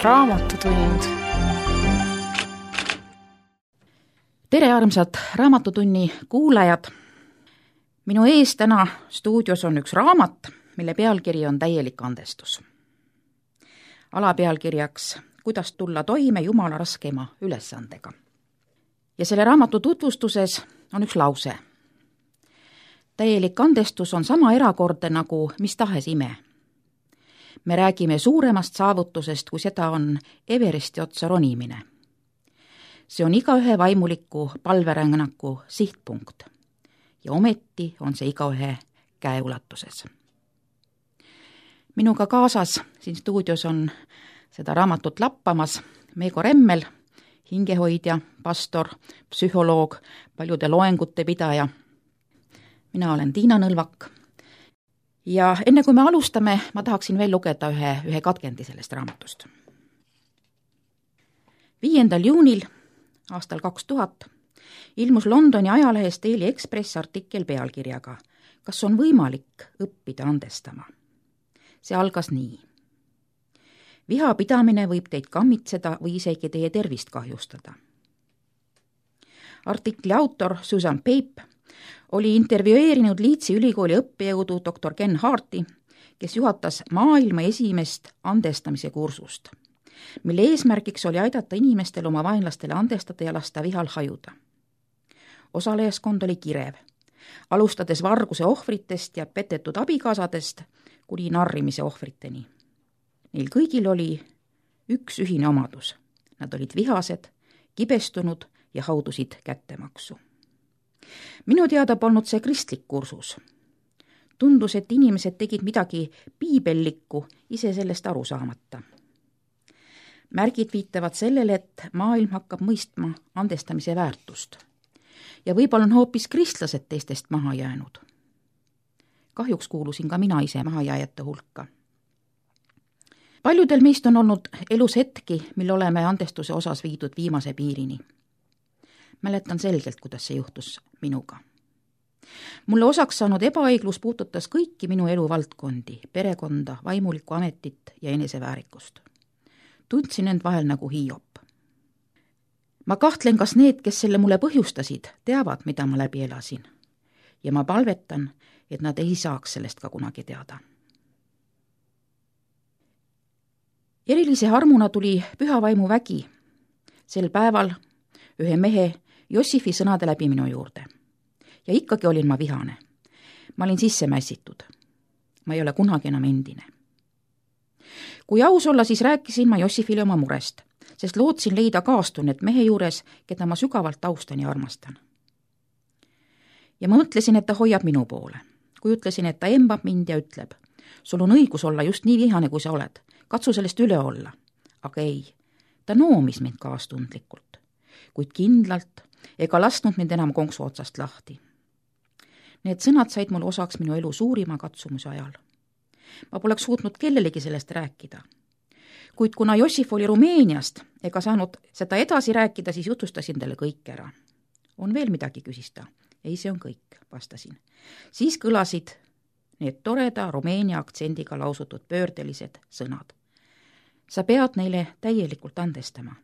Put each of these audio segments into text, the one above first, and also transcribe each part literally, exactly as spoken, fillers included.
raamatutund. tere, armsad Raamatutunni kuulajad! Minu ees täna stuudios on üks raamat, mille pealkiri on Täielik andestus. Alapealkirjaks Kuidas tulla toime Jumala raskema ülesandega. Ja selle raamatu tutvustuses on üks lause. Täielik andestus on sama erakordne nagu mis tahes ime. Me räägime suuremast saavutusest, kui seda on Everesti otsa ronimine. See on igaühe vaimuliku palverännaku sihtpunkt ja ometi on see igaühe käeulatuses. Minuga kaasas siin stuudios on seda raamatut lappamas Meego Remmel, hingehoidja, pastor, psühholoog, paljude loengute pidaja. Mina olen Tiina Nõlvak. Ja enne kui me alustame, ma tahaksin veel lugeda ühe, ühe katkendi sellest raamatust. viiendal juunil aastal kaks tuhat ilmus Londoni ajalehes Daily Express artikkel pealkirjaga Kas on võimalik õppida andestama? See algas nii. Viha pidamine võib teid kammitseda või isegi teie tervist kahjustada. Artikli autor Susan Pape oli intervjueerinud Leedsi ülikooli õppejõudu doktor Ken Harti, kes juhatas maailma esimest andestamise kursust, mille eesmärgiks oli aidata inimestel oma vaenlastele andestada ja lasta vihal hajuda. Osalejaskond oli kirev, alustades varguse ohvritest ja petetud abikaasadest kuni narrimise ohvriteni. Neil kõigil oli üks ühine omadus. Nad olid vihased, kibestunud ja haudusid kättemaksu. Minu teada polnud see kristlik kursus. Tundus, et inimesed tegid midagi piibellikku ise sellest aru saamata. Märgid viitavad sellele, et maailm hakkab mõistma andestamise väärtust. Ja võib-olla on hoopis kristlased teistest maha jäänud. Kahjuks kuulusin ka mina ise mahajääjate hulka. Paljudel meist on olnud elus hetki, mil oleme andestuse osas viidud viimase piirini. Mäletan selgelt, kuidas see juhtus minuga. Mulle osaks saanud ebaõiglus puudutas kõiki minu eluvaldkondi, perekonda, vaimulikku ametit ja eneseväärikust. Tundsin end vahel nagu Hiiop. Ma kahtlen, kas need, kes selle mulle põhjustasid, teavad, mida ma läbi elasin. Ja ma palvetan, et nad ei saaks sellest ka kunagi teada. Erilise harmuna tuli pühavaimu vägi sel päeval ühe mehe Jossifi sõnade läbi minu juurde. Ja ikkagi olin ma vihane. Ma olin sisse mässitud. Ma ei ole kunagi enam endine. Kui aus olla, siis rääkisin ma Jossifile oma murest, sest lootsin leida kaastunnet mehe juures, keda ma sügavalt austan ja armastan. Ja ma mõtlesin, et ta hoiab minu poole. Kui ütlesin, et ta embab mind ja ütleb, sul on õigus olla just nii vihane, kui sa oled. Katsu sellest üle olla. Aga ei, ta noomis mind kaastundlikult, kuid kindlalt ega lasknud mind enam konksu otsast lahti. Need sõnad said mul osaks minu elu suurima katsumuse ajal. Ma poleks suutnud kellelegi sellest rääkida. Kuid kuna Jossif oli Rumeeniast ega saanud seda edasi rääkida, siis jutustasin talle kõik ära. On veel midagi, küsis ta? Ei, see on kõik, vastasin. Siis kõlasid need toreda Rumeenia aktsendiga lausutud pöördelised sõnad. Sa pead neile täielikult andestama.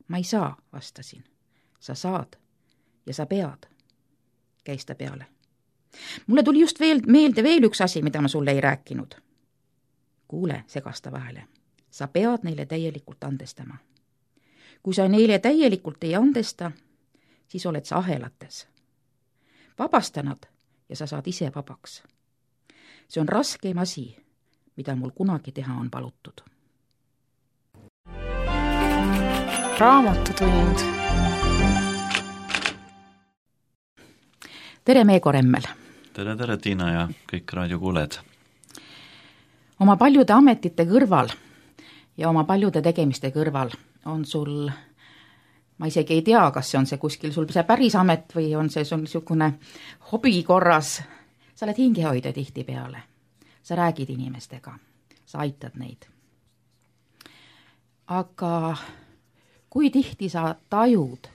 Ma ei saa, vastasin. Sa saad ja sa pead, käis ta peale. Mulle tuli just veel meelde veel üks asi, mida ma sulle ei rääkinud. Kuule, segas ta vahele. Sa pead neile täielikult andestama. Kui sa neile täielikult ei andesta, siis oled sa ahelates. Vabasta nad ja sa saad ise vabaks. See on raskeim asi, mida mul kunagi teha on palutud. Raamatutund. Tere, Meego Remmel! Tere, tere, Tiina ja kõik raadiokuuled! Oma paljude ametite kõrval ja oma paljude tegemiste kõrval on sul, ma isegi ei tea, kas see on see kuskil sul see päris amet või on see sul niisugune hobi korras. Sa oled hingehoidja tihti peale. Sa räägid inimestega, sa aitad neid. Aga kui tihti sa tajud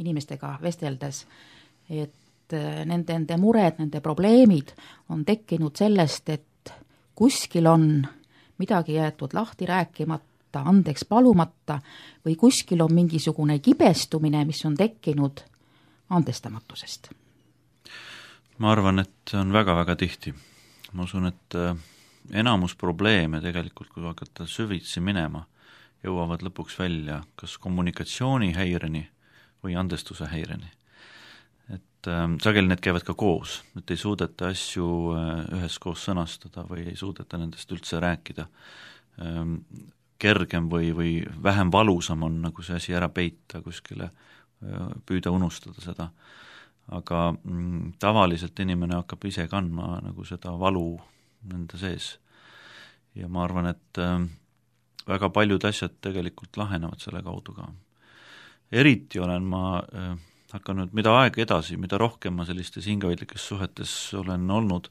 inimestega vesteldes, et nende, nende mured, nende probleemid on tekkinud sellest, et kuskil on midagi jäetud lahti rääkimata andmata, andeks palumata või kuskil on mingisugune kibestumine, mis on tekkinud andestamatusest? Ma arvan, et on väga-väga tihti. Ma usun, et enamus probleeme tegelikult, kui hakata süvitsi minema, jõuavad lõpuks välja kas kommunikatsioonihäireni või andestuse häireni. Et äh, sageli need käivad ka koos, et ei suudeta asju äh, üheskoos sõnastada või ei suudeta nendest üldse rääkida. Ähm, kergem või, või vähem valusam on nagu see asi ära peita kuskile, äh, püüda unustada seda. Aga mm, tavaliselt inimene hakkab ise kandma nagu seda valu nende sees. Ja ma arvan, et äh, väga paljud asjad tegelikult lahenevad selle kaudu ka. Eriti olen ma äh, hakanud, mida aeg edasi, mida rohkem ma sellistes hingehoidlikes suhetes olen olnud,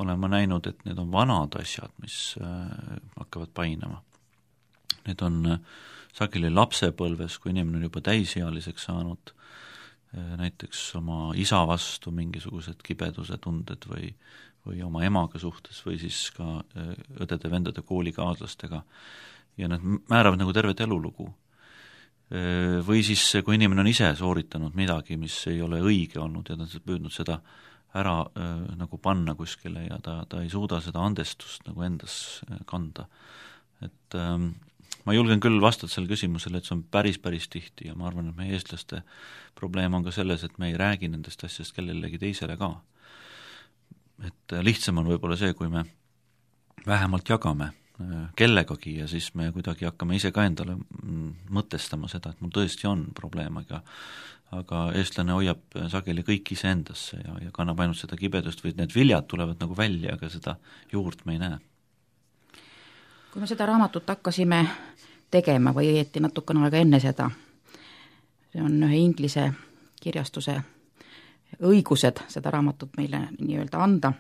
olen ma näinud, et need on vanad asjad, mis äh, hakkavad painama. Need on äh, sageli lapsepõlves, kui inimene on juba täisealiseks saanud, äh, näiteks oma isa vastu mingisugused kibeduse tunded või või oma emaga suhtes või siis ka äh, õdede, vendade, koolikaaslastega. Ja nad määravad nagu tervet elulugu. Või siis, kui inimene on ise sooritanud midagi, mis ei ole õige olnud ja ta on püüdnud seda ära äh, nagu panna kuskile ja ta, ta ei suuda seda andestust nagu endas kanda. Et ähm, ma julgen küll vastata selle küsimusele, et see on päris, päris tihti ja ma arvan, et meie eestlaste probleem on ka selles, et me ei räägi nendest asjast kellelegi teisele ka. Et lihtsam on võib-olla see, kui me vähemalt jagame kellegagi ja siis me kuidagi hakkame ise ka endale mõtestama seda, et mul tõesti on probleem, aga, aga eestlane hoiab sageli kõik ise endasse ja, ja kannab ainult seda kibedust või need viljad tulevad nagu välja, aga seda juurt me ei näe. Kui me seda raamatut hakkasime tegema või õieti natukene aega enne seda, see on ühe inglise kirjastuse õigused seda raamatut meile nii-öelda anda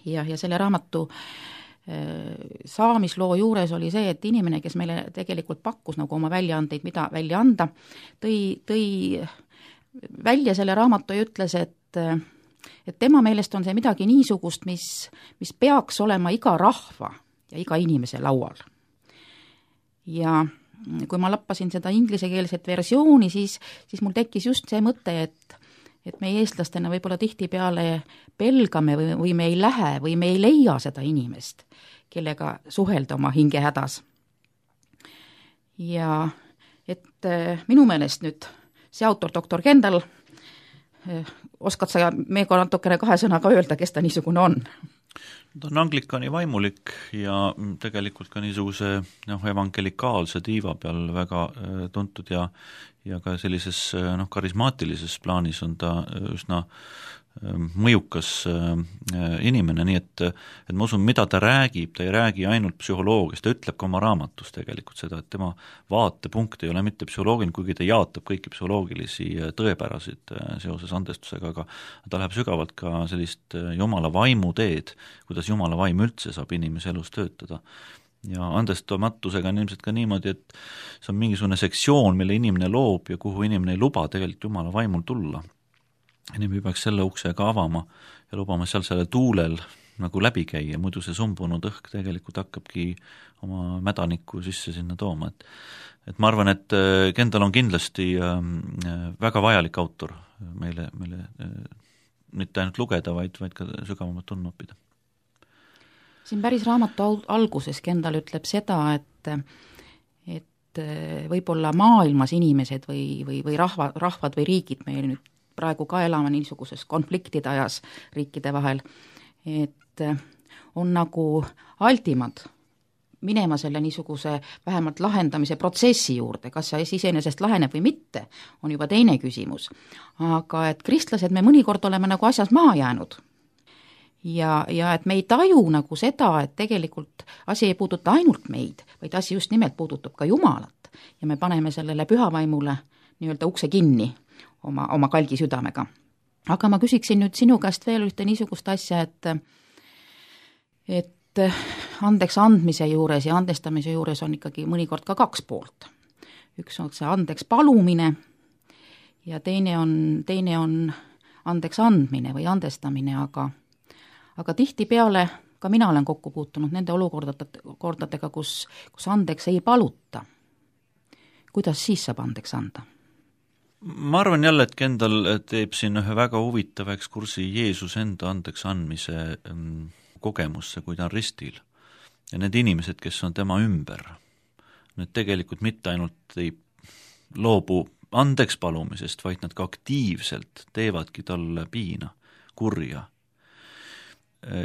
ja, ja selle raamatu saamisloo juures oli see, et inimene, kes meile tegelikult pakkus nagu oma väljaandeid, mida välja anda, tõi, tõi välja selle raamatu ja ütles, et, et tema meelest on see midagi niisugust, mis, mis peaks olema iga rahva ja iga inimese laual. Ja kui ma lappasin seda inglisekeelset versiooni, siis, siis mul tekkis just see mõte, et et me eestlastena võib-olla tihtipeale pelgame või, või me ei lähe või me ei leia seda inimest, kellega suhelda oma hingehädas. Ja et minu meelest nüüd see autor, doktor Kendall, oskad sa meiega natukene kahe sõnaga öelda, kes ta niisugune on? Ta on anglikani vaimulik ja tegelikult ka niisuguse noh, evangelikaalse tiiva peal väga tuntud ja ja ka sellises noh, karismaatilises plaanis on ta üsna mõjukas inimene, nii et, et ma usun, mida ta räägib, ta ei räägi ainult psühholoogiast, ta ütleb ka oma raamatus tegelikult seda, et tema vaatepunkt ei ole mitte psühholoogiline, kuigi ta jaatab kõiki psühholoogilisi tõepärasid seoses andestusega, aga ta läheb sügavalt ka sellist Jumala vaimu teed, kuidas Jumala vaim üldse saab inimese elus töötada. Ja andestamatusega on ilmselt ka niimoodi, et see on mingisugune sektsioon, mille inimene loob ja kuhu inimene ei luba tegelikult Jumala vaimul tulla. Inimene peaks selle ukse ka avama ja lubama seal selle tuulel nagu läbi käia, muidu see sumbunud õhk tegelikult hakkabki oma mädanikku sisse sinna tooma. Et, et ma arvan, et Kendall on kindlasti väga vajalik autor meile, meile mitte ainult lugeda, vaid, vaid ka sügavamalt tundma õppida. Siin päris raamatu alguses Kendall ütleb seda, et, et võib-olla maailmas inimesed või, või, või rahva, rahvad või riigid, meil nüüd praegu ka elame niisuguses konfliktide ajas riikide vahel, et on nagu altimad minema selle niisuguse vähemalt lahendamise protsessi juurde, kas see iseenesest laheneb või mitte, on juba teine küsimus. Aga et kristlased me mõnikord oleme nagu asjas maha jäänud. Ja, ja et me ei taju nagu seda, et tegelikult asi ei puuduta ainult meid, vaid asi just nimelt puudutab ka Jumalat. Ja me paneme sellele pühavaimule nii-öelda ukse kinni oma, oma kalgi südamega. Aga ma küsiksin nüüd sinu käest veel ühte niisugust asja, et, et andeks andmise juures ja andestamise juures on ikkagi mõnikord ka kaks poolt. Üks on see andeks palumine ja teine on, teine on andeks andmine või andestamine, aga aga tihtipeale ka mina olen kokku puutunud nende olukordadega, kus, kus andeks ei paluta. Kuidas siis saab andeks anda? Ma arvan jälle, et Kendall teeb siin ühe väga huvitava ekskursi Jeesus enda andeks andmise kogemusse, kui ta on ristil. Ja need inimesed, kes on tema ümber, need tegelikult mitte ainult ei loobu andeks palumisest, vaid nad ka aktiivselt teevadki talle piina, kurja.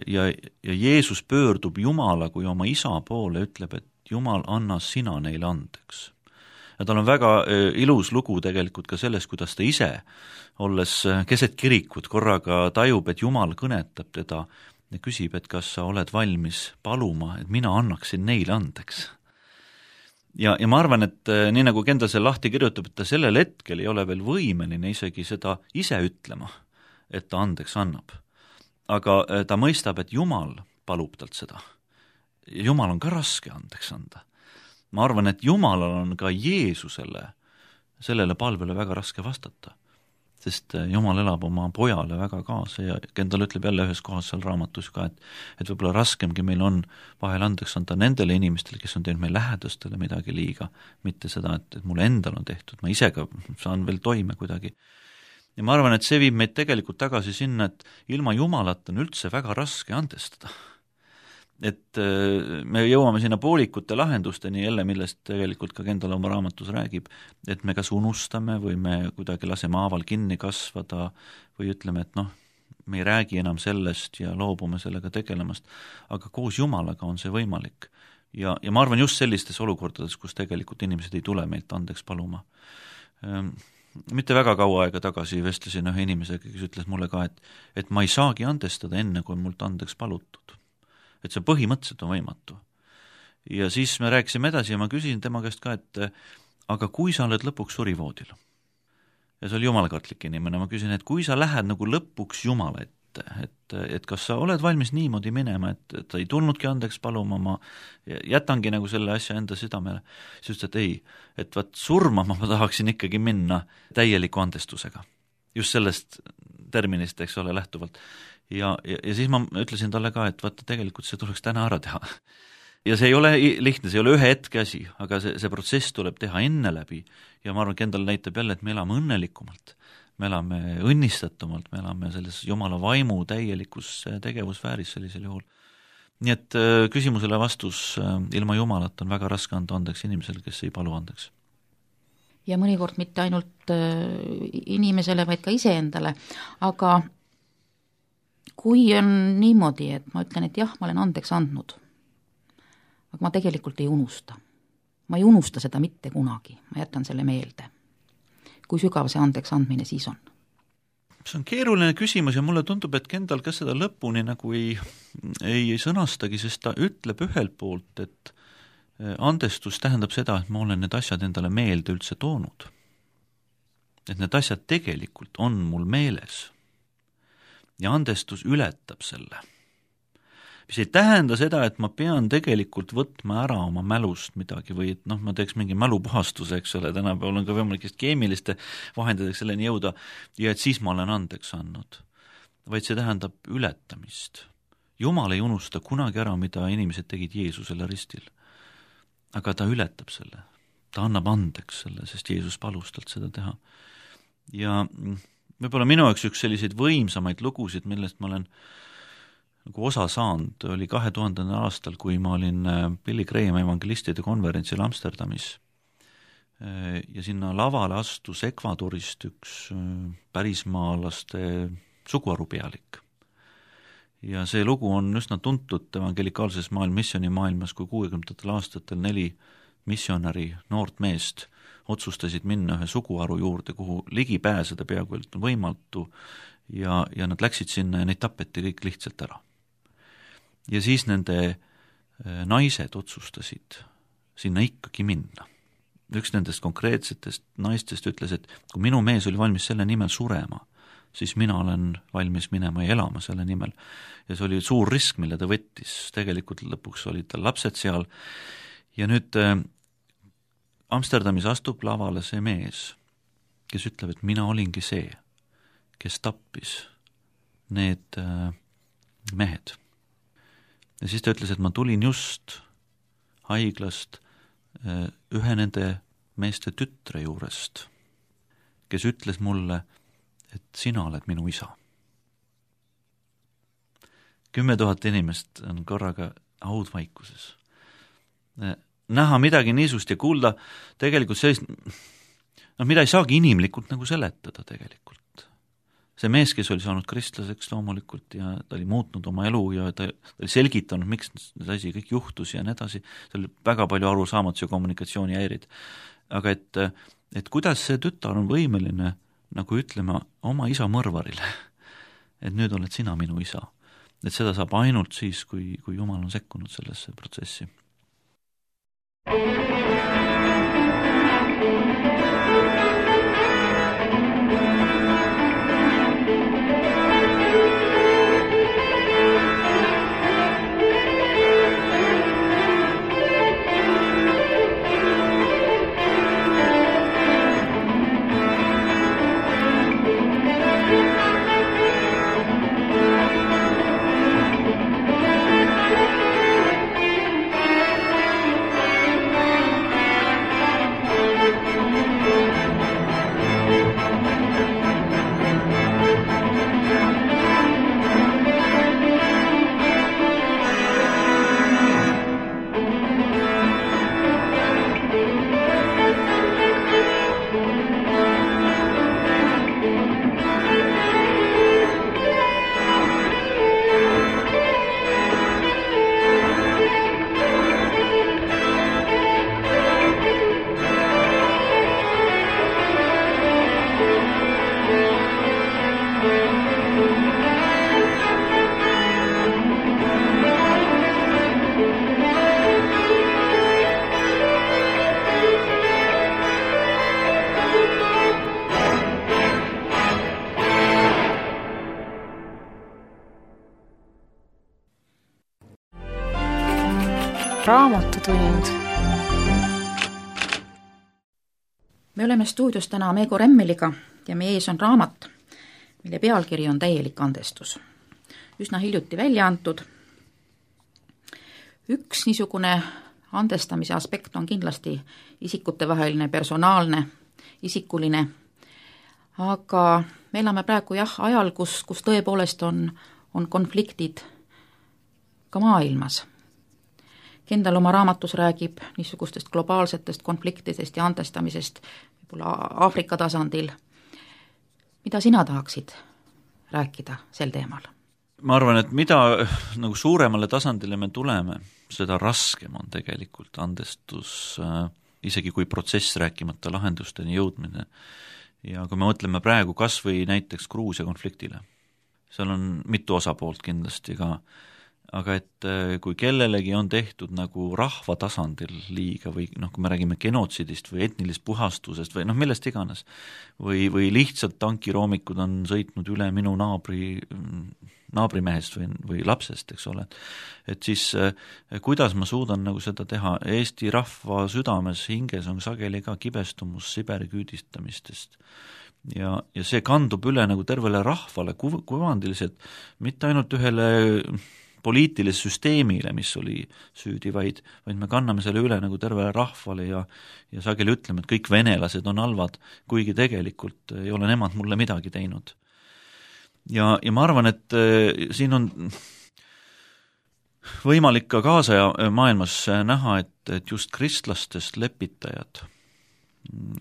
Ja, ja Jeesus pöördub Jumala kui oma isa poole, ütleb, et Jumal, anna sina neile andeks. Ja tal on väga ilus lugu tegelikult ka sellest, kuidas ta ise, olles keset kirikut, korraga tajub, et Jumal kõnetab teda ja küsib, et kas sa oled valmis paluma, et mina annaksin neile andeks. Ja, ja ma arvan, et nii nagu Kendall selle lahti kirjutab, et ta sellel hetkel ei ole veel võimeline isegi seda ise ütlema, et ta andeks annab. Aga ta mõistab, et Jumal palub talt seda. Jumal on ka raske andeks anda. Ma arvan, et Jumalal on ka Jeesusele, sellele palvele väga raske vastata, sest Jumal elab oma pojale väga kaasa ja Kendall ütleb jälle ühes kohas seal raamatus ka, et, et võib-olla raskemgi meil on vahel andeks anda nendele inimestele, kes on teinud meil lähedastele midagi liiga, mitte seda, et, et mulle endal on tehtud, ma ise ka saan veel toime kuidagi. Ja ma arvan, et see viib meid tegelikult tagasi sinna, et ilma Jumalata on üldse väga raske andestada. Et me jõuame sinna poolikute lahendusteni jälle, millest tegelikult ka Kendall oma raamatus räägib, et me kas unustame või me kuidagi laseme haaval kinni kasvada või ütleme, et noh, me ei räägi enam sellest ja loobume sellega tegelemast, aga koos Jumalaga on see võimalik. Ja, ja ma arvan just sellistes olukordades, kus tegelikult inimesed ei tule meilt andeks paluma. Mitte väga kaua aega tagasi vestlesin ühe inimesega, kes ütles mulle ka, et, et ma ei saagi andestada enne, kui mult andeks palutud. Et see põhimõtteliselt on võimatu. Ja siis me rääkisime edasi ja ma küsisin tema käest ka, et aga kui sa oled lõpuks surivoodil, ja see oli jumalkartlik inimene, ma küsin, et kui sa lähed nagu lõpuks Jumala ette, et, et kas sa oled valmis niimoodi minema, et, et ta ei tulnudki andeks paluma, ma jätangi nagu selle asja enda südamele, siis ütles, et ei, et vaat surmama ma tahaksin ikkagi minna täieliku andestusega. Just sellest terminist, eks ole, lähtuvalt. Ja, ja, ja siis ma ütlesin talle ka, et vaata, tegelikult see tuleks täna ära teha. Ja see ei ole lihtne, see ei ole ühe hetke asi, aga see, see protsess tuleb teha enne läbi ja ma arvan, Kendall näitab jälle, et me elame õnnelikumalt, me elame õnnistatumalt, me elame selles Jumala vaimu täielikus tegevusfääris sellisel juhul. Nii et küsimusele vastus, ilma Jumalat on väga raske anda andeks inimesele, kes ei palu andeks. Ja mõnikord mitte ainult inimesele, vaid ka iseendale, aga kui on niimoodi, et ma ütlen, et jah, ma olen andeks andnud, aga ma tegelikult ei unusta. Ma ei unusta seda mitte kunagi, ma jätan selle meelde. Kui sügav see andeks andmine siis on? See on keeruline küsimus ja mulle tundub, et Kendall ka seda lõpuni nagu ei, ei sõnastagi, sest ta ütleb ühelt poolt, et andestus tähendab seda, et ma olen need asjad endale meelde üldse toonud. Et need asjad tegelikult on mul meeles. Ja andestus ületab selle. Mis ei tähenda seda, et ma pean tegelikult võtma ära oma mälust midagi või et noh, ma teeks mingi mälupuhastuse, eks ole, tänapäeval on ka võimalikest keemiliste vahenditeks selleni jõuda ja et siis ma olen andeks andnud. Vaid see tähendab ületamist. Jumal ei unusta kunagi ära, mida inimesed tegid Jeesusele ristil. Aga ta ületab selle. Ta annab andeks selle, sest Jeesus palus talt seda teha. Ja võib-olla minu jaoks üks selliseid võimsamaid lugusid, millest ma olen nagu osa saanud, oli kahe tuhandendal aastal, kui ma olin Billy Graham evangelistide konverentsil Amsterdamis. Ja sinna lavale astus Ekvadorist üks pärismaalaste suguharupealik. Ja see lugu on üsna tuntud evangelikaalses maailm, missiooni maailmas, kui kuuekümnendatel aastatel neli missionäri noort meest otsustasid minna ühe suguharu juurde, kuhu ligi pääseda peaaegu võimatu ja, ja nad läksid sinna ja neid tapeti kõik lihtsalt ära. Ja siis nende naised otsustasid sinna ikkagi minna. Üks nendest konkreetsetest naistest ütles, et kui minu mees oli valmis selle nimel surema, siis mina olen valmis minema ja elama selle nimel. Ja see oli suur risk, mille ta võttis. Tegelikult lõpuks olid tal lapsed seal ja nüüd Amsterdamis astub lavale see mees, kes ütleb, et mina olingi see, kes tappis need mehed. ja siis ta ütles, et ma tulin just haiglast ühe nende meeste tütre juurest, kes ütles mulle, et sina oled minu isa. Kümme tuhat inimest on korraga haudvaikuses. Näha midagi niisust ja kuulda tegelikult sellist, noh, mida ei saagi inimlikult nagu seletada tegelikult. See mees, kes oli saanud kristlaseks loomulikult ja ta oli muutnud oma elu ja ta, ta oli selgitanud, miks see asi kõik juhtus ja nii edasi, see oli väga palju arusaamatusi ja kommunikatsiooni häirid. Aga et, et kuidas see tütar on võimeline nagu ütlema oma isa mõrvarile, et nüüd oled sina minu isa. Et seda saab ainult siis, kui, kui Jumal on sekkunud sellesse protsessi. Raamatutund. Me oleme stuudios täna Meego Remmeliga ja meie ees on raamat, mille pealkiri on Täielik andestus. Üsna hiljuti välja antud. Üks niisugune andestamise aspekt on kindlasti isikutevaheline, personaalne, isikuline, aga me elame praegu jah ajal, kus, kus tõepoolest on, on konfliktid ka maailmas. Kendal oma raamatus räägib niisugustest globaalsetest konfliktidest ja andestamisest võib-olla Aafrika tasandil. Mida sina tahaksid rääkida sel teemal? Ma arvan, et mida nagu suuremale tasandile me tuleme, seda raskem on tegelikult andestus, äh, isegi kui protsess rääkimata lahendusteni jõudmine. Ja kui me mõtleme praegu kas või näiteks Gruusia konfliktile, seal on mitu osapoolt kindlasti ka, aga et kui kellelegi on tehtud nagu rahva tasandil liiga või noh, kui me räägime genotsidist või etnilist puhastusest või noh, millest iganes, või, või lihtsalt tankiroomikud on sõitnud üle minu naabri, naabrimehest või, või lapsest, eks ole, et siis kuidas ma suudan nagu seda teha, Eesti rahva südames, hinges on sageli ka kibestumus Siberi küüdistamistest. Ja, ja see kandub üle nagu tervele rahvale kuv- kuvandiliselt, mitte ainult ühele poliitilis süsteemile, mis oli süüdi, vaid, vaid me kanname selle üle nagu tervele rahvale ja, ja sageli ütleme, et kõik venelased on halvad, kuigi tegelikult ei ole nemad mulle midagi teinud. Ja, ja ma arvan, et äh, siin on võimalik ka kaasaja maailmas näha, et, et just kristlastest lepitajad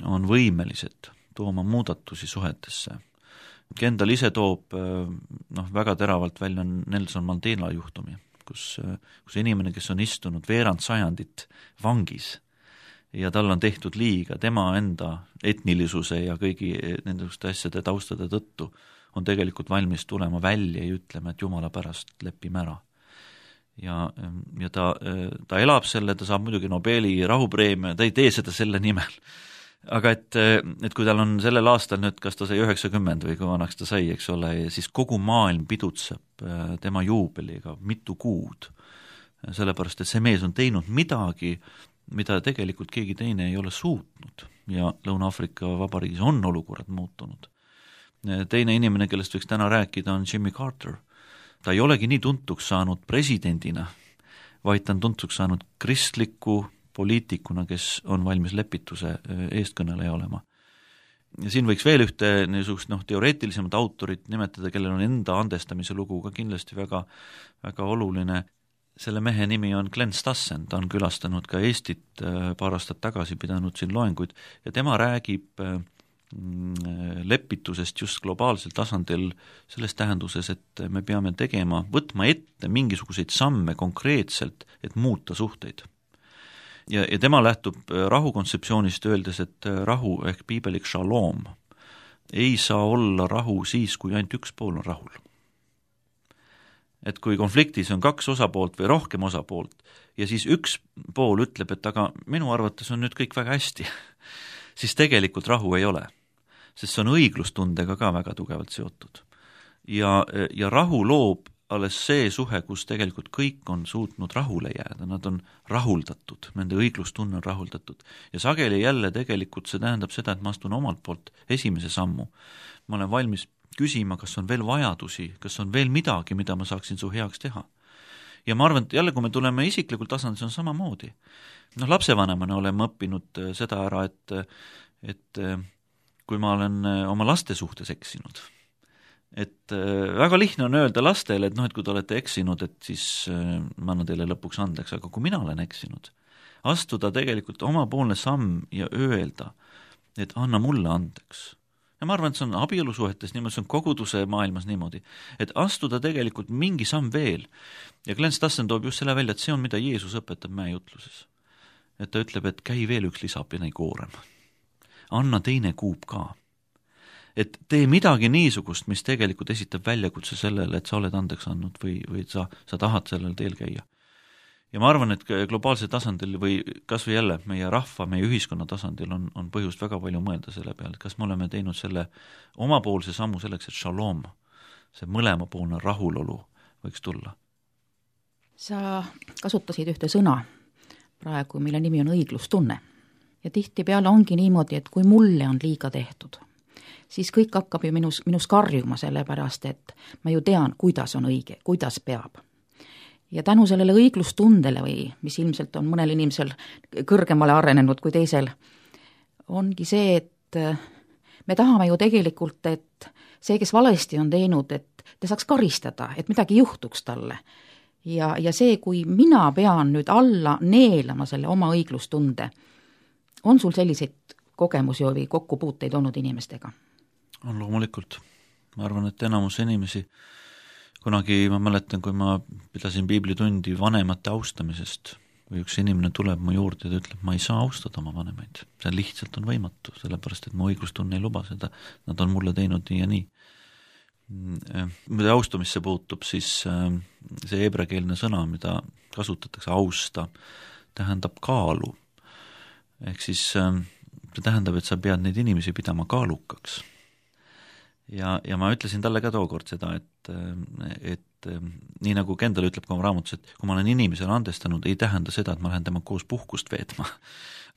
on võimelised tooma muudatusi suhetesse. Kendal ise toob noh, väga teravalt välja Nelson Mandela juhtumi, kus, kus inimene, kes on istunud veerand sajandit vangis ja tal on tehtud liiga tema enda etnilisuse ja kõigi nendesuguste asjade taustade tõttu, on tegelikult valmis tulema välja ja ütlema, et Jumala pärast lepime ära. Ja, ja ta, ta elab selle, ta saab muidugi Nobeli rahupreemia, ta ei tee seda selle nimel. Aga et, et kui tal on sellel aastal nüüd, kas ta sai üheksakümmend või kui vanaks ta sai, eks ole, ja siis kogu maailm pidutseb tema juubeliga mitu kuud, sellepärast et see mees on teinud midagi, mida tegelikult keegi teine ei ole suutnud ja Lõuna-Aafrika Vabariigis on olukorrad muutunud. Teine inimene, kellest võiks täna rääkida, on Jimmy Carter. Ta ei olegi nii tuntuks saanud presidendina, vaid ta on tuntuks saanud kristliku poliitikuna, kes on valmis lepituse eestkõneleja olema. Ja siin võiks veel ühte niisugust noh, teoreetilisemat autorit nimetada, kellel on enda andestamise lugu ka kindlasti väga, väga oluline. Selle mehe nimi on Glenn Stassen, ta on külastanud ka Eestit paar aastat tagasi, pidanud siin loenguid ja tema räägib lepitusest just globaalsel tasandil selles tähenduses, et me peame tegema, võtma ette mingisuguseid samme konkreetselt, et muuta suhteid. Ja, ja tema lähtub rahu kontseptsioonist öeldes, et rahu ehk piibelik shalom ei saa olla rahu siis, kui ainult üks pool on rahul. Et kui konfliktis on kaks osapoolt või rohkem osapoolt ja siis üks pool ütleb, et aga minu arvates on nüüd kõik väga hästi, siis tegelikult rahu ei ole, sest see on õiglustundega ka väga tugevalt seotud. Ja, ja rahu loob alles see suhe, kus tegelikult kõik on suutnud rahule jääda, nad on rahuldatud, nende õiglustunne on rahuldatud. Ja sageli jälle tegelikult see tähendab seda, et ma astun omalt poolt esimese sammu. Ma olen valmis küsima, kas on veel vajadusi, kas on veel midagi, mida ma saaksin su heaks teha. Ja ma arvan, et jälle, kui me tuleme isiklikul tasandil, see on samamoodi. Noh, lapsevanemana oleme õppinud seda ära, et, et kui ma olen oma laste suhtes eksinud, et väga lihtne on öelda lastele, et noh, et kui te olete eksinud, et siis ma annan teile lõpuks andeks, aga kui mina olen eksinud, astuda tegelikult omapoolne samm ja öelda, et anna mulle andeks. Ja ma arvan, et see on abielusuhetes niimoodi, see on koguduse maailmas niimoodi, et astuda tegelikult mingi samm veel. Ja Glenn Stassen toob just selle välja, et see on, mida Jeesus õpetab mäejutluses. Et ta ütleb, et käi veel üks lisapine koorem. Anna teine kuub ka. Et tee midagi niisugust, mis tegelikult esitab väljakutse sellele, et sa oled andeks andnud või, või sa, sa tahad sellel teel käia. Ja ma arvan, et globaalsel tasandil või kas või jälle meie rahva, meie ühiskonna tasandil on, on põhjust väga palju mõelda selle peale, et kas me oleme teinud selle omapoolse sammu selleks, et shalom, see mõlemapoolne rahulolu võiks tulla. Sa kasutasid ühte sõna praegu, mille nimi on õiglustunne. Ja tihtipeale ongi niimoodi, et kui mulle on liiga tehtud, siis kõik hakkab ju minus, minus karjuma selle pärast, et ma ju tean, kuidas on õige, kuidas peab. Ja tänu sellele õiglustundele või mis ilmselt on mõnel inimesel kõrgemale arenenud kui teisel, ongi see, et me tahame ju tegelikult, et see, kes valesti on teinud, et ta saaks karistada, et midagi juhtuks talle. Ja, ja see, kui mina pean nüüd alla neelama selle oma õiglustunde, on sul selliseid kogemusi või kokkupuuteid olnud inimestega? On loomulikult. Ma arvan, et enamus inimesi kunagi ma mäletan, kui ma pidasin piiblitundi vanemate austamisest, kui üks inimene tuleb mu juurde ja ütleb, ma ei saa austada oma vanemaid. See lihtsalt on võimatu, sellepärast, et mu õiglustunne ei luba seda. Nad on mulle teinud nii ja nii. Mida austumisse puutub, siis see heebreakeelne sõna, mida kasutatakse austa, tähendab kaalu. Ehk siis see tähendab, et sa pead neid inimesi pidama kaalukaks. Ja, ja ma ütlesin talle ka tookord seda, et, et nii nagu Kendall ütleb ka oma raamatus, et kui ma olen inimesele andestanud, ei tähenda seda, et ma lähen tema koos puhkust veetma.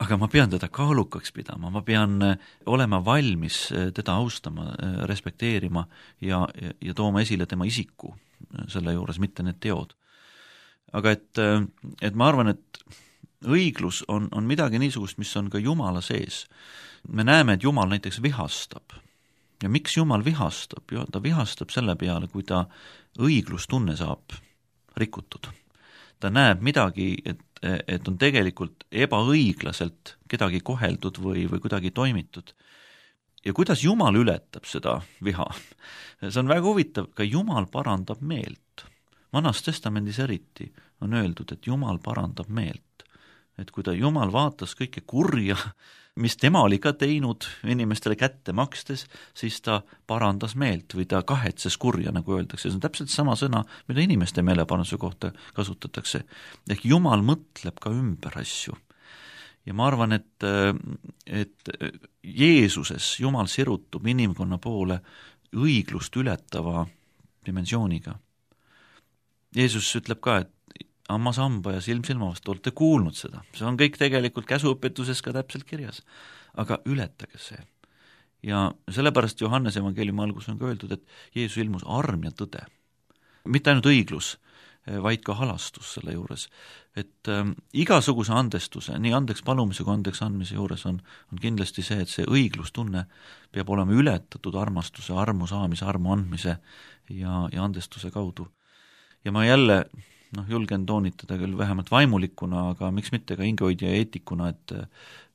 Aga ma pean teda kaalukaks pidama, ma pean olema valmis teda austama, respekteerima ja, ja tooma esile tema isiku selle juures, mitte need teod. Aga et, et ma arvan, et õiglus on, on midagi niisugust, mis on ka Jumala sees. Me näeme, et Jumal näiteks vihastab. Ja miks Jumal vihastab? Ta vihastab selle peale, kui ta õiglustunne saab rikutud. Ta näeb midagi, et, et on tegelikult ebaõiglaselt kedagi koheldud või, või kuidagi toimitud. Ja kuidas Jumal ületab seda viha? See on väga huvitav, ka Jumal parandab meelt. Vanas testamendis eriti on öeldud, et Jumal parandab meelt. Et kui ta Jumal vaatas kõike kurja, mis tema oli ka teinud inimestele kätte makstes, siis ta parandas meelt või ta kahetses kurja, nagu öeldakse. See on täpselt sama sõna, mida inimeste meeleparanduse kohta kasutatakse. Ehk Jumal mõtleb ka ümber asju. Ja ma arvan, et, et Jeesuses Jumal sirutub inimkonna poole õiglust ületava dimensiooniga. Jeesus ütleb ka, et ammas hamba ja silm silma vastu, olete kuulnud seda. See on kõik tegelikult käsuõpetuses ka täpselt kirjas. Aga ületage see. Ja sellepärast Johannes evangeeliumi algus on ka öeldud, et Jeesus ilmus arm ja tõde. mitte ainult õiglus, vaid ka halastus selle juures. Et äh, igasuguse andestuse, nii andeks palumise kui andeks andmise juures on, on kindlasti see, et see õiglustunne peab olema ületatud armastuse, armu saamise, armu andmise ja, ja andestuse kaudu. Ja ma jälle noh, julgen toonitada küll vähemalt vaimulikuna, aga miks mitte ka hingehoidja ja eetikuna, et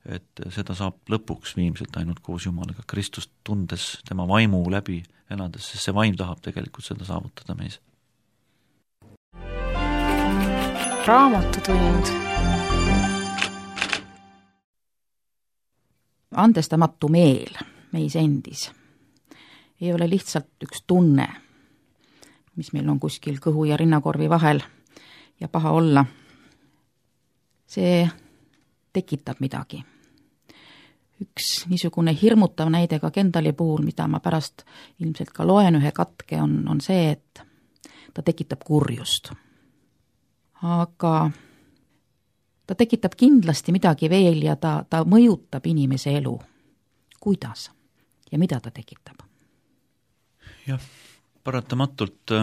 et seda saab lõpuks viimselt ainult koos Jumalaga, Kristust tundes, tema vaimu läbi elades, sest see vaim tahab tegelikult seda saavutada meis. Raamatutund. Andestamatu meel meis endis ei ole lihtsalt üks tunne, mis meil on kuskil kõhu ja rinnakorvi vahel ja paha olla. See tekitab midagi. Üks niisugune hirmutav näide ka Kendali puhul, mida ma pärast ilmselt ka loen ühe katke, on, on see, et ta tekitab kurjust. Aga ta tekitab kindlasti midagi veel ja ta, ta mõjutab inimese elu. Kuidas ja mida ta tekitab? Jah, paratamatult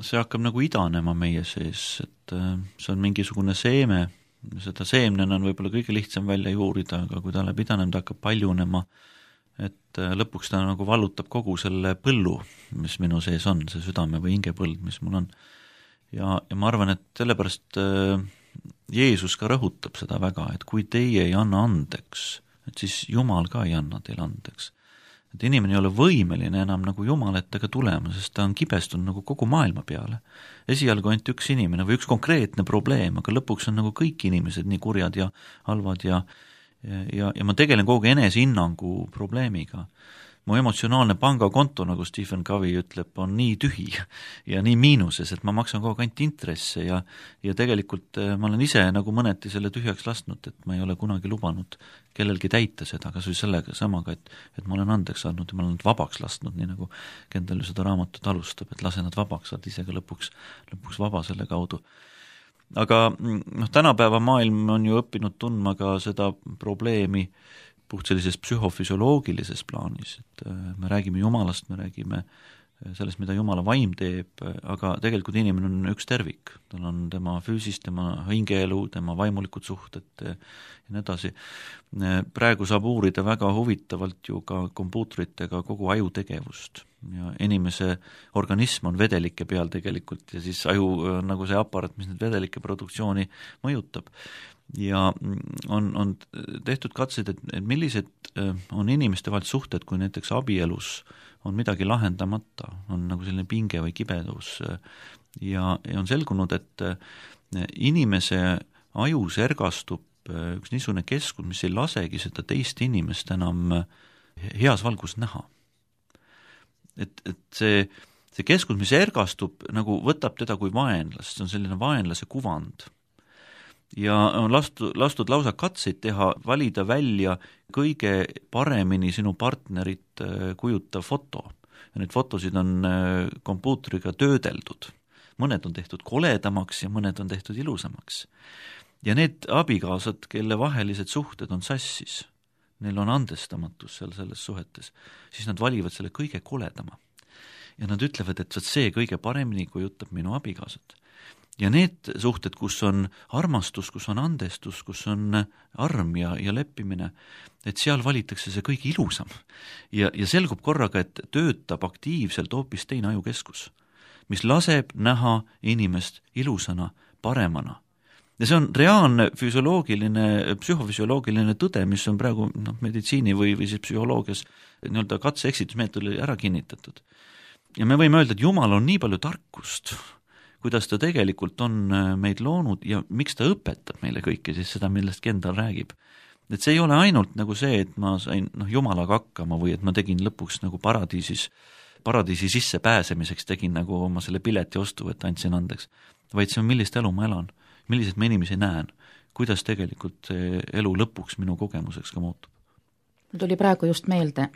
see hakkab nagu idanema meie sees, et see on mingisugune seeme, seda seemnena on võib-olla kõige lihtsam välja juurida, aga kui ta läheb idanema, ta hakkab paljunema, et lõpuks ta nagu vallutab kogu selle põllu, mis minu sees on, see südame või hingepõld, mis mul on. Ja, ja ma arvan, et sellepärast Jeesus ka rõhutab seda väga, et kui teie ei anna andeks, et siis Jumal ka ei anna teile andeks. Et inimene ei ole võimeline enam nagu Jumal ettega tulema, sest ta on kibestunud nagu kogu maailma peale. Esialgu ainult üks inimene või üks konkreetne probleem, aga lõpuks on nagu kõik inimesed nii kurjad ja halvad ja, ja, ja ma tegelen kogu enesehinnangu probleemiga. Mu emotsionaalne pangakonto, nagu Stephen Covey ütleb, on nii tühi ja nii miinuses, et ma maksan kogu ainult intresse ja, ja tegelikult ma olen ise nagu mõneti selle tühjaks lasknud, et ma ei ole kunagi lubanud kellelgi täita seda, kas või sellega samaga, et, et ma olen andeks andnud ja ma olen nad vabaks lasknud, nii nagu Kendal ju seda raamatut alustab, et lase nad vabaks, saad ise ka lõpuks, lõpuks vaba selle kaudu. Aga noh, tänapäeva maailm on ju õppinud tundma ka seda probleemi puht sellises psühhofüsioloogilises plaanis, et me räägime Jumalast, me räägime sellest, mida Jumala vaim teeb, aga tegelikult inimene on üks tervik. Tal on tema füüsis, tema hingeelu, tema vaimulikud suhted ja nii edasi. Praegu saab uurida väga huvitavalt ju ka kompuutritega kogu aju tegevust. Ja inimese organism on vedelike peal tegelikult ja siis aju on nagu see aparat, mis need vedelike produktsiooni mõjutab. Ja on, on tehtud katseid, et, et millised on inimeste vahel suhted, kui näiteks abielus on midagi lahendamata, on nagu selline pinge või kibedus ja, ja on selgunud, et inimese ajus ergastub üks niisugune keskus, mis ei lasegi seda teist inimest enam heas valgus näha. Et, et see, see keskus, mis ergastub, nagu võtab teda kui vaenlast, see on selline vaenlase kuvand. Ja on lastud, lastud lausa katseid teha, valida välja kõige paremini sinu partnerit kujutav foto. Ja need fotosid on kompuutriga töödeldud. Mõned on tehtud koledamaks ja mõned on tehtud ilusamaks. Ja need abikaasad, kelle vahelised suhted on sassis, neil on andestamatus seal selles suhetes, siis nad valivad selle kõige koledama. Ja nad ütlevad, et see kõige paremini kujutab minu abikaasat. Ja need suhted, kus on armastus, kus on andestus, kus on arm ja, ja leppimine, et seal valitakse see kõige ilusam. Ja, ja selgub korraga, et töötab aktiivselt hoopis teine ajukeskus, mis laseb näha inimest ilusana, paremana. Ja see on reaalne füsioloogiline, psühhofüsioloogiline tõde, mis on praegu no, meditsiini või, või siis psühholoogias nii-öelda katse-eksitusmeetodil ära kinnitatud. Ja me võime öelda, et Jumal on nii palju tarkust, kuidas ta tegelikult on meid loonud ja miks ta õpetab meile kõike siis seda, millest Kendal räägib. Et see ei ole ainult nagu see, et ma sain noh, Jumalaga hakkama või et ma tegin lõpuks nagu paradiisis, paradiisi sisse pääsemiseks tegin nagu oma selle pileti ostu, et andsin andeks, vaid see on, millist elu ma elan, millised ma inimesi näen, kuidas tegelikult elu lõpuks minu kogemuseks ka muutub. Mul tuli praegu just meelde,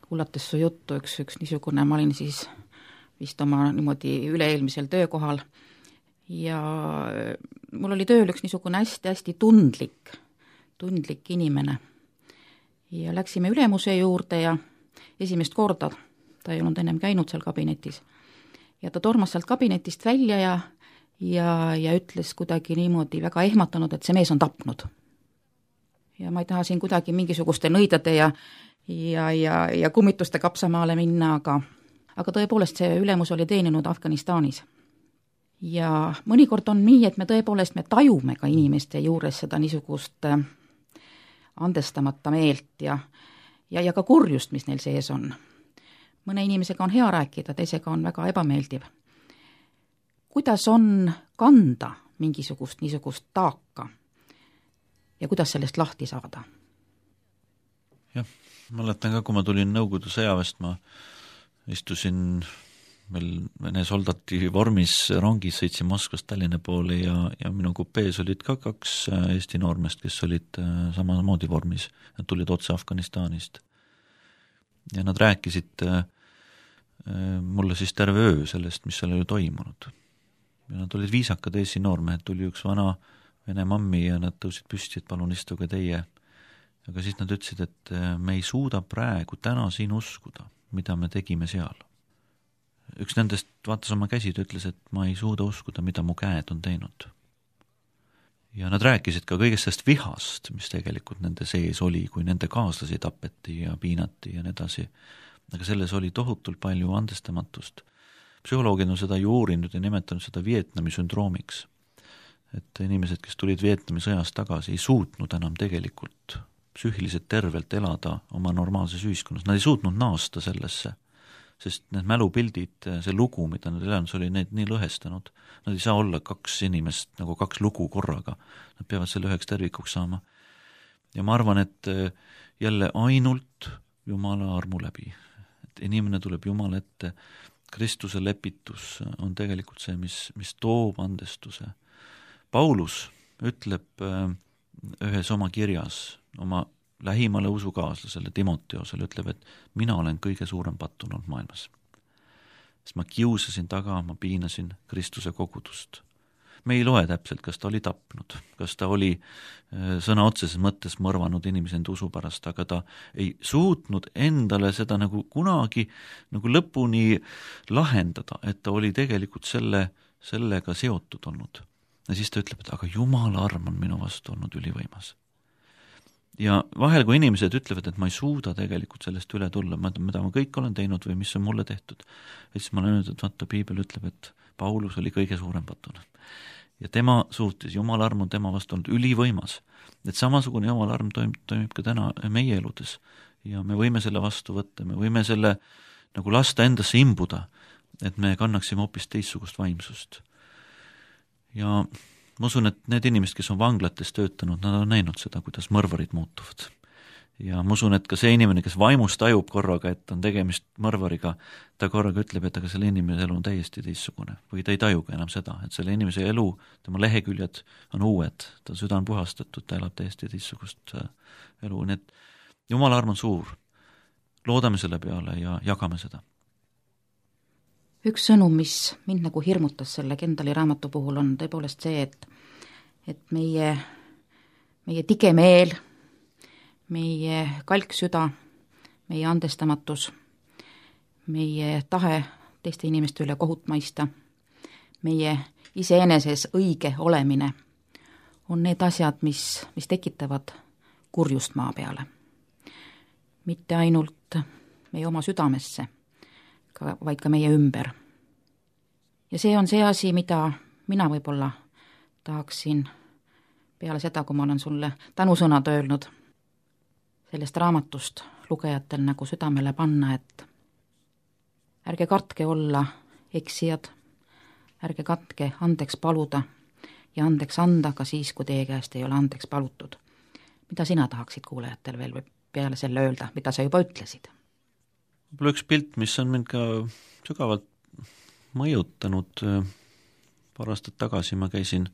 kuulates su juttu, üks, üks niisugune, ma olin siis vist oma niimoodi üle-eelmisel töökohal ja mul oli tööl üks niisugune hästi-hästi tundlik, tundlik inimene. Ja läksime ülemuse juurde ja esimest korda, ta ei olnud ennem käinud seal kabinetis, ja ta tormas sealt kabinetist välja ja, ja, ja ütles kuidagi niimoodi väga ehmatanud, et see mees on tapnud. Ja ma ei taha siin kuidagi mingisuguste nõidade ja, ja, ja, ja kummituste kapsamaale minna, aga, aga tõepoolest see ülemus oli teeninud Afganistanis. Ja mõnikord on nii, et me tõepoolest me tajume ka inimeste juures seda niisugust andestamata meelt ja, ja, ja ka kurjust, mis neil sees on. Mõne inimesega on hea rääkida, teisega on väga ebameeldiv. Kuidas on kanda mingisugust niisugust taaka ja kuidas sellest lahti saada? Jah, mäletan ka, kui ma tulin Nõukogude sõjaväest, ma istusin meil Vene soldati vormis rongis, sõitsin Moskvast Tallinna poole ja, ja minu kupees olid ka kaks Eesti noormest, kes olid samamoodi vormis. Nad tulid otse Afganistanist. Ja nad rääkisid mulle siis terve öö sellest, mis seal oli toimunud. Ja nad olid viisakad Eesti noormehed, tuli üks vana Vene mammi ja nad tõusid püsti, et palun istuge teie. Aga siis nad ütlesid, et me ei suuda praegu täna siin uskuda, mida me tegime seal. Üks nendest vaatas oma käsid ja ütles, et ma ei suuda uskuda, mida mu käed on teinud. Ja nad rääkisid ka kõigest sellest vihast, mis tegelikult nende sees oli, kui nende kaaslasi tapeti ja piinati ja nii edasi. Aga selles oli tohutult palju andestamatust. Psühholoogid on seda ju uurinud ja nimetanud seda Vietnami sündroomiks. Et inimesed, kes tulid Vietnami sõjast tagasi, ei suutnud enam tegelikult psüühiliselt tervelt elada oma normaalses ühiskonnas. Nad ei suutnud naasta sellesse, sest need mälupildid, see lugu, mida nad elanud, oli neid nii lõhestanud. Nad ei saa olla kaks inimest, nagu kaks lugu korraga. Nad peavad selle üheks tervikuks saama. Ja ma arvan, et jälle ainult Jumala armu läbi. Et inimene tuleb Jumala ette. Kristuse lepitus on tegelikult see, mis, mis toob andestuse. Paulus ütleb ühes oma kirjas, oma lähimale usukaaslasele Timoteosele, ütleb, et mina olen kõige suurem pattunud maailmas. Sest ma kiusasin taga, ma piinasin Kristuse kogudust. Me ei loe täpselt, kas ta oli tapnud, kas ta oli sõna otseses mõttes mõrvanud inimese enda usu pärast, aga ta ei suutnud endale seda nagu kunagi nagu lõpuni lahendada, et ta oli tegelikult selle, sellega seotud olnud. Ja siis ta ütleb, et aga Jumala arm on minu vastu olnud ülivõimas. Ja vahel, kui inimesed ütlevad, et ma ei suuda tegelikult sellest üle tulla, mida ma kõik olen teinud või mis on mulle tehtud, et siis ma olen öelnud, et vaata, Piibel ütleb, et Paulus oli kõige suurem pattunud. Ja tema suutis, Jumala arm on tema vastu olnud ülivõimas. Et samasugune Jumala arm toimib, toimib ka täna meie eludes. Ja me võime selle vastu võtta, me võime selle nagu lasta endasse imbuda, et me kannaksime hoopis teistsugust vaimsust. Ja ma usun, et need inimesed, kes on vanglates töötanud, nad on näinud seda, kuidas mõrvarid muutuvad. Ja ma usun, et ka see inimene, kes vaimust tajub korraga, et on tegemist mõrvariga, ta korraga ütleb, et aga selle inimese elu on täiesti teistsugune. Või ta ei tajuga enam seda, et selle inimese elu, tema leheküljed on uued, ta süda on puhastatud, ta elab täiesti teistsugust elu. Nii et Jumala arm on suur. Loodame selle peale ja jagame seda. Üks sõnum, mis mind nagu hirmutas selle Kendali raamatu puhul, on tõepoolest see, et, et meie, meie tige meel, meie kalksüda, meie andestamatus, meie tahe teiste inimeste üle kohut maista, meie iseeneses õige olemine on need asjad, mis, mis tekitavad kurjust maa peale. Mitte ainult meie oma südamesse, Ka, vaid ka meie ümber. Ja see on see asi, mida mina võib-olla tahaksin peale seda, kui ma olen sulle tänusõnad öelnud, sellest raamatust lugejatel nagu südamele panna, et ärge kartke olla eksijad, ärge katke andeks paluda ja andeks anda ka siis, kui teie käest ei ole andeks palutud. Mida sina tahaksid kuulajatel veel või peale selle öelda, mida sa juba ütlesid? Võib-olla üks pilt, mis on mind ka sügavalt mõjutanud. Paar aastat tagasi ma käisin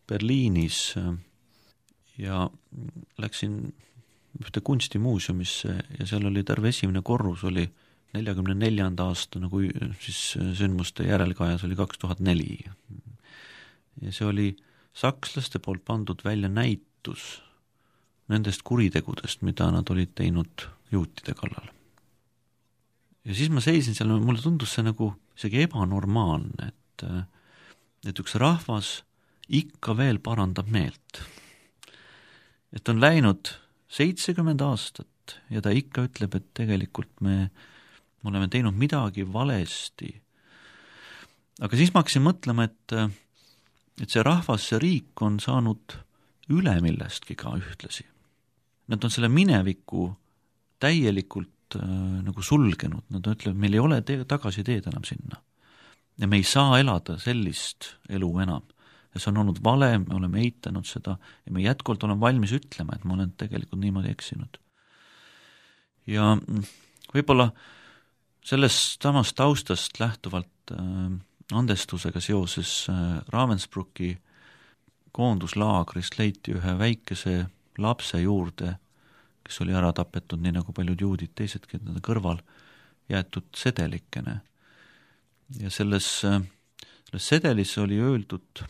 Berliinis ja läksin ühte kunstimuuseumisse ja seal oli terve esimene korrus, oli neljakümne neljanda aasta nagu siis sündmuste järelkajas oli kaks tuhat neli. Ja see oli sakslaste poolt pandud välja näitus nendest kuritegudest, mida nad olid teinud juutide kallal. Ja siis ma seisin seal, mulle tundus see nagu isegi ebanormaalne, et, et üks rahvas ikka veel parandab meelt. Et on läinud seitsekümmend aastat ja ta ikka ütleb, et tegelikult me, me oleme teinud midagi valesti. Aga siis ma hakkasin mõtlema, et, et see rahvas, see riik on saanud üle millestki ka ühtlasi. Nad on selle mineviku täielikult äh, nagu sulgenud, nad ütlevad, meil ei ole te- tagasi teed enam sinna. Ja me ei saa elada sellist elu enam. Ja see on olnud vale, me oleme eitanud seda ja me jätkuvalt oleme valmis ütlema, et ma olen tegelikult niimoodi eksinud. Ja võib-olla sellest samast taustast lähtuvalt äh, andestusega seoses äh, Ravensbrücki koonduslaagrist leiti ühe väikese lapse juurde, kes oli ära tapetud, nii nagu paljud juudid teisedki nende kõrval, jäetud sedelikene. Ja selles, selles sedelis oli öeldud,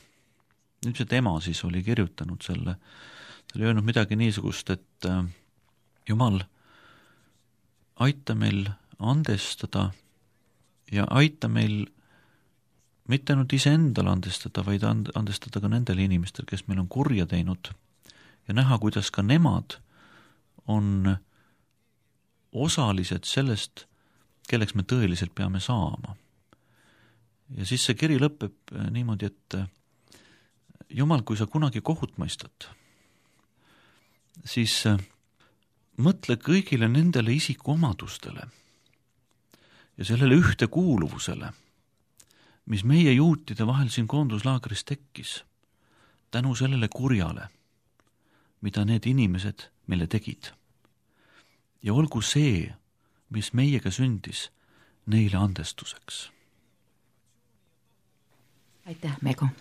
ilmselt ema siis oli kirjutanud selle, ta oli öelnud midagi niisugust, et äh, Jumal, aita meil andestada ja aita meil mitte ainult iseendale andestada, vaid andestada ka nendele inimestel, kes meil on kurja teinud ja näha, kuidas ka nemad on osalised sellest, kelleks me tõeliselt peame saama. Ja siis see kiri lõpeb niimoodi, et Jumal, kui sa kunagi kohut mõistad, siis mõtle kõigile nendele isikuomadustele ja sellele ühtekuuluvusele, mis meie juutide vahel siin koonduslaagris tekkis, tänu sellele kurjale, mida need inimesed meile tegid. Ja olgu see, mis meiega sündis, neile andestuseks. Aitäh, Mego!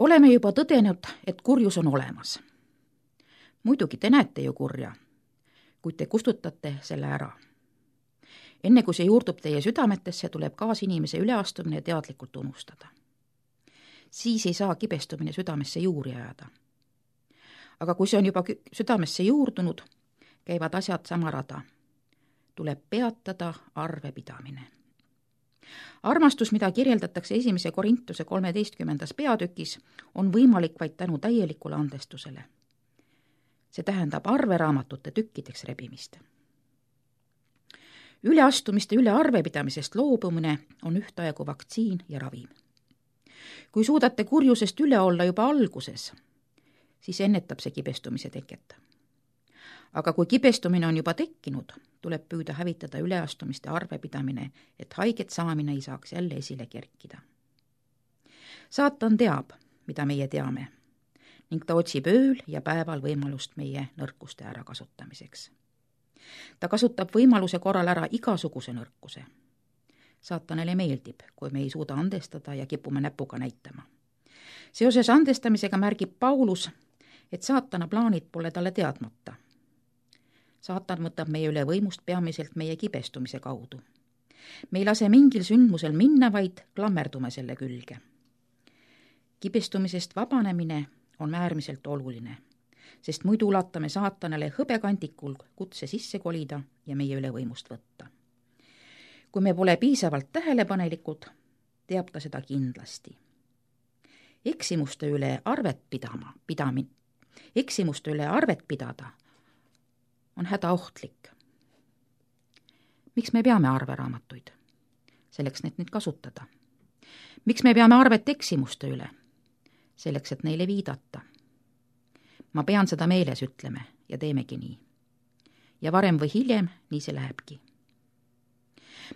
Oleme juba tõdenud, et kurjus on olemas. Muidugi te näete ju kurja, kuid te kustutate selle ära. Enne kui see juurdub teie südametesse, tuleb kaasinimese üleastumine teadlikult unustada. siis ei saa kibestumine südamesse juuri ajada. aga kui see on juba südamesse juurdunud, käivad asjad sama rada. tuleb peatada arvepidamine. armastus, mida kirjeldatakse esimese Korintuse kolmeteistkümnendas peatükis, on võimalik vaid tänu täielikule andestusele. see tähendab arveraamatute tükkideks rebimist. üleastumiste üle arvepidamisest loobumine on ühtaegu vaktsiin ja ravim. kui suudate kurjusest üle olla juba alguses, siis ennetab see kibestumise teket. aga kui kibestumine on juba tekkinud, tuleb püüda hävitada üleastumiste arvepidamine, et haiget saamine ei saaks jälle esile kerkida. saatan teab, mida meie teame, ning ta otsib ööl ja päeval võimalust meie nõrkuste ärakasutamiseks. ta kasutab võimaluse korral ära igasuguse nõrkuse. saatanile meeldib, kui me ei suuda andestada ja kipume näpuga näitama. seoses andestamisega märgib Paulus, et saatana plaanid pole talle teadmata. saatan võtab meie üle võimust peamiselt meie kibestumise kaudu. me ei lase mingil sündmusel minna, vaid klammerdume selle külge. kibestumisest vabanemine on äärmiselt oluline, sest muidu ulatame saatanale hõbekandikul kutse sisse kolida ja meie üle võimust võtta. kui me pole piisavalt tähelepanelikud, teab ta seda kindlasti. eksimuste üle arvet pidama, pidamine, eksimuste üle arvet pidada on hädaohtlik. miks me peame arveraamatuid? selleks, et neid kasutada. miks me peame arvet eksimuste üle? selleks, et neile viidata. ma pean seda meeles, ütleme, ja teemegi nii. ja varem või hiljem nii see lähebki.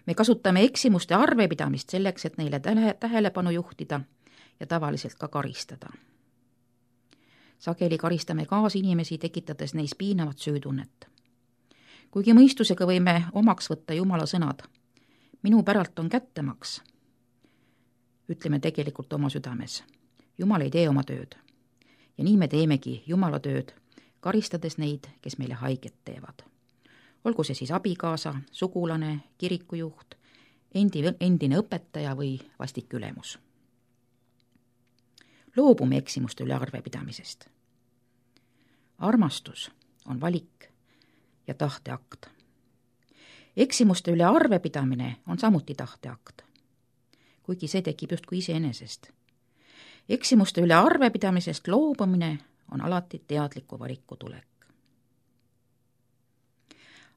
me kasutame eksimuste arvepidamist selleks, et neile tähelepanu juhtida ja tavaliselt ka karistada. sageli karistame kaasinimesi, tekitades neis piinavat süütunnet. kuigi mõistusega võime omaks võtta Jumala sõnad, minu päralt on kättemaks, ütleme tegelikult oma südames. Jumal ei tee oma tööd. ja nii me teemegi Jumala tööd, karistades neid, kes meile haiget teevad. olgu see siis abikaasa, sugulane, kirikujuht, endi, endine õpetaja või vastik ülemus. loobume eksimuste üle arvepidamisest. armastus on valik ja tahteakt. eksimuste üle arvepidamine on samuti tahteakt, kuigi see tekib justkui iseenesest. eksimuste üle arvepidamisest loobumine on alati teadliku valiku tulek.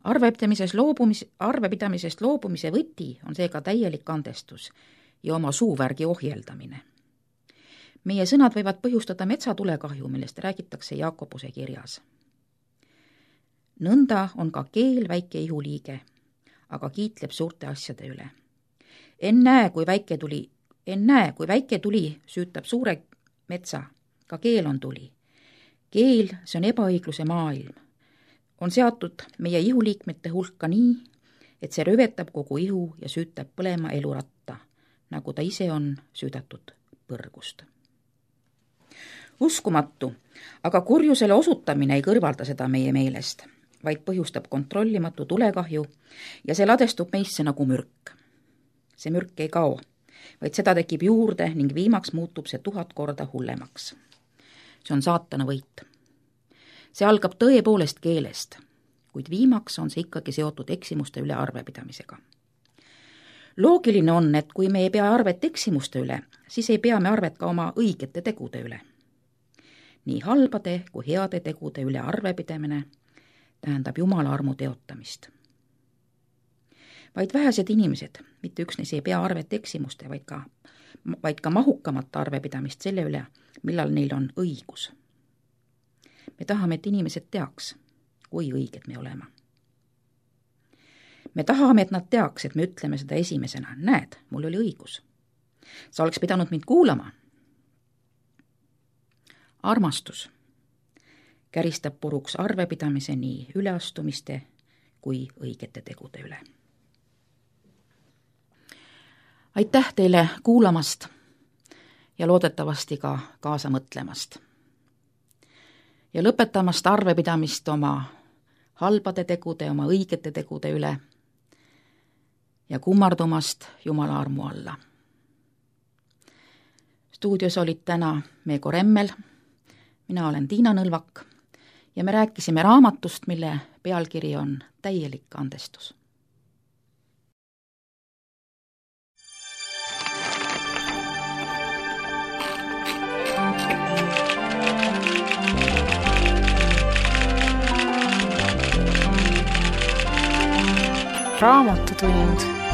Arvepidamises loobumis, arvepidamisest loobumise võti on seega täielik andestus ja oma suuvärgi ohjeldamine. meie sõnad võivad põhjustada metsatulekahju, millest räägitakse Jaakobuse kirjas. nõnda on ka keel väike ihuliige, aga kiitleb suurte asjade üle. ennäe, kui väike tuli, ennäe, kui väike tuli süütab suure metsa, ka keel on tuli. keel, see on ebaõigluse maailm. on seatud meie ihuliikmete hulka nii, et see rövetab kogu ihu ja süütab põlema eluratta, nagu ta ise on süüdatud põrgust. uskumatu, aga kurjusele osutamine ei kõrvalda seda meie meelest, vaid põhjustab kontrollimatu tulekahju ja see ladestub meisse nagu mürk. see mürk ei kao, vaid seda tekib juurde ning viimaks muutub see tuhat korda hullemaks. see on saatana võit. see algab tõepoolest keelest, kuid viimaks on see ikkagi seotud eksimuste üle arvepidamisega. loogiline on, et kui me ei pea arvet eksimuste üle, siis ei pea me arvet ka oma õigete tegude üle. nii halbade kui heade tegude üle arvepidamine tähendab Jumala armu teotamist. vaid vähesed inimesed, mitte üksnes ei pea arvet eksimuste, vaid ka, vaid ka mahukamat arvepidamist selle üle, millal neil on õigus. me tahame, et inimesed teaks, kui õiged me oleme. me tahame, et nad teaks, et me ütleme seda esimesena. näed, mul oli õigus. sa oleks pidanud mind kuulama. armastus käristab puruks arvepidamise nii üleastumiste kui õigete tegude üle. aitäh teile kuulamast ja loodetavasti ka kaasa mõtlemast. ja lõpetamast arvepidamist oma halbade tegude, oma õigete tegude üle ja kummardumast Jumala armu alla. stuudios olid täna Meego Remmel, mina olen Tiina Nõlvak ja me rääkisime raamatust, mille pealkiri on Täielik andestus. Raamatutund